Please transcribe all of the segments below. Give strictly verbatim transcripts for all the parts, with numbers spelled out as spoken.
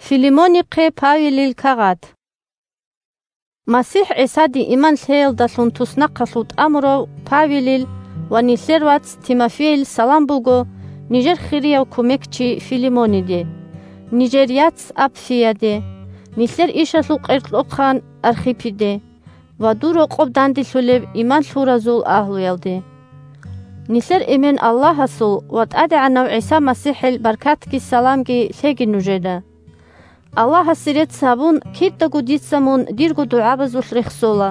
Филимонихъе Павелил кагъат. МасихӀ ГӀисаде иман лъеялдалъун туснахъалъув тӀамурав Павелил ва нилъер вац Тимофейил салам буго нижер хирияв кумекчи Филимониде, нижер яц Апфияде, нилъер ишалъул къеркьохъан Архиппиде ва дур рокъоб данделъулеб иман лъуразул агьлуялде. Нилъер Эмен Аллагьасул ва ТӀадегӀанав ГӀиса МасихӀил баркатги саламги лъеги нужеда. Аллагьасе рецц гьабун, кидаго дица мун дирго дугӀабазулъ рехсола.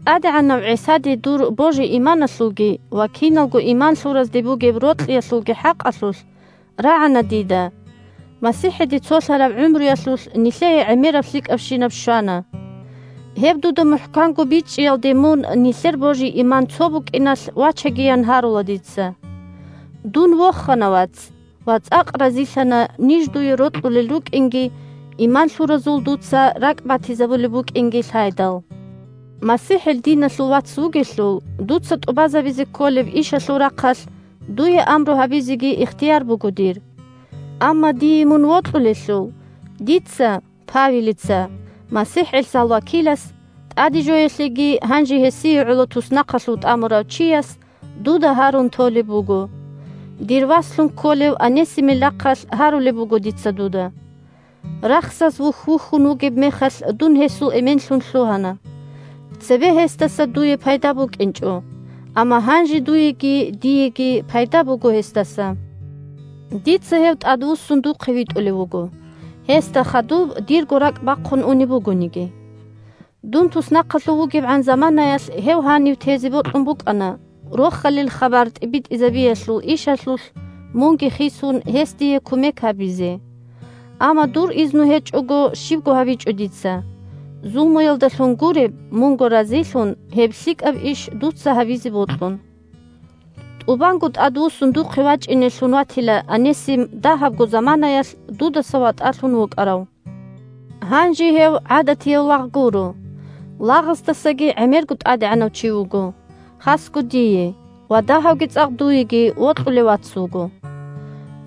ТӀадегӀанав ГӀисаде дур божи-иманалъулги ва киналго иман лъуразде бугеб рокьиялъулги хӀакъалъулъ рагӀана дида. МасихӀиде цолъараб гӀумруялъулъ нилъее гӀемераб лъикӀабщинаб щвана. Гьеб дуда мухӀканго бичӀчӀиялде мун нилъер божи-иман цо букӀиналъ вачагиян гьарула дица. Дун вохана, вац, ва цӀакъ разилъана ниж дуе рокьулел рукӀинги, иман лъуразул дуца ракӀ батизабулеб букӀинги лъайдал. МасихӀил диналъул вац вугелъул, дуца тӀубазабизе кколеб ишалъул рахъалъ дуе амру гьабизеги ихтияр буго дир. Амма дие мун вокьулелъул, дица, Павелица, МасихӀ ГӀисал вакилас, тӀаде жоялъеги гьанже гьесие гӀоло туснахъалъув тӀамурав чияс дуда гьарун толеб буго. Дир васлъун кколев Анесимил рахъалъ гьарулеб буго дица дуда. Рахсаз вухь-вухьун вугеб мехалъ дун гьесул эменлъун лъугьана. Цебе гьесдаса дуе пайда букӀинчӀо, амма гьанже дуеги диеги пайда буго гьесдаса. Дица гьев тӀадвуссун духъе витӀулев вуго, гьесда хадуб дирго ракӀ бахъун унеб бугониги. Дун туснахъалъув вугебгӀан заманаялъ гьев гьанив тезе бокьун букӀана, Рохалил хабар тӀибитӀизабиялъул ишалъулъ мунги хисун, гьес дие кумек гьабизе. Амма дур изну гьечӀого щибго гьабичӀо дица. Зулмуялдалъун гуреб, мунго разилъун, гьеб лъикӀаб иш дуца гьабизе бокьун. ТӀубанго тӀадвуссун духъе вачӀинелъун ватила Анесим дагьабго заманаялъ дудаса ватӀалъун вукӀарав. Гьанже гьев гӀадатияв лагъ гуро. Лагъасдасаги гӀемерго тӀадегӀанав чи вуго, хасго дие, ва дагьавги цӀакъ дуеги вокьулев вац вуго.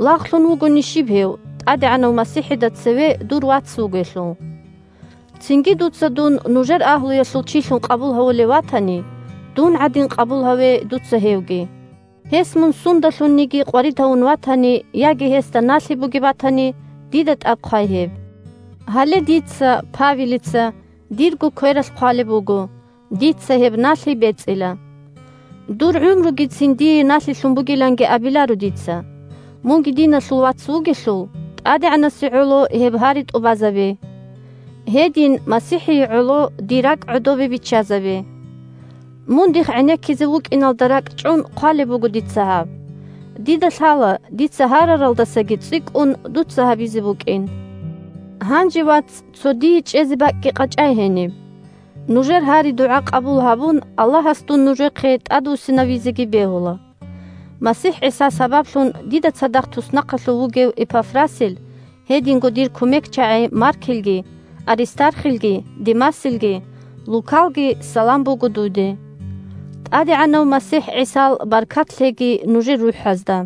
Лагълъун вугони щиб гьев, ТӀадегӀанав МасихӀида цеве дур вац вугелъул? Цинги дуца дун нужер агьлуялъул чилъун къабул гьавулев ватани, дун гӀадин къабул гьаве дуца гьевги. Гьес мун сундалъунниги къварид гьавун ватани яги гьесда налъи бугеб батани, дида тӀад хъвай гьеб. Гьале дица, Павелица, дирго квералъ хъвалеб буго, дица гьеб налъи бецӀила. Дур гӀумругицин дие налъилъун бугиланги абиларо дица. Мунги диналъул вац вугелъул, ТӀадегӀанасе гӀоло гьеб гьари тӀубазабе. Гьедин МасихӀие гӀоло дир ракӀ гӀодобе биччазабе. Мун дихъ гӀенеккизе вукӀиналда ракӀчӀун хъвалеб буго дица гьаб. Дида лъала, дица гьараралдасаги цӀикӀкӀун дуца гьабизе букӀин. Гьанже, вац, цо дие чӀезе бакӀги къачӀай гьениб. Нужер гьари-дугӀа къабул гьабун, Аллагьас дун нужехъе тӀадвуссинавизеги бегьула. МасихӀ ГӀиса сабаблъун дида цадахъ туснахъалъув вугев Эпафрасил, гьединго дир кумекчагӀи Маркилги, Аристархилги, Демасилги, Лукалги салам буго дуде. ТӀадегӀанав МасихӀ ГӀисал баркат лъеги нужер рухӀазда.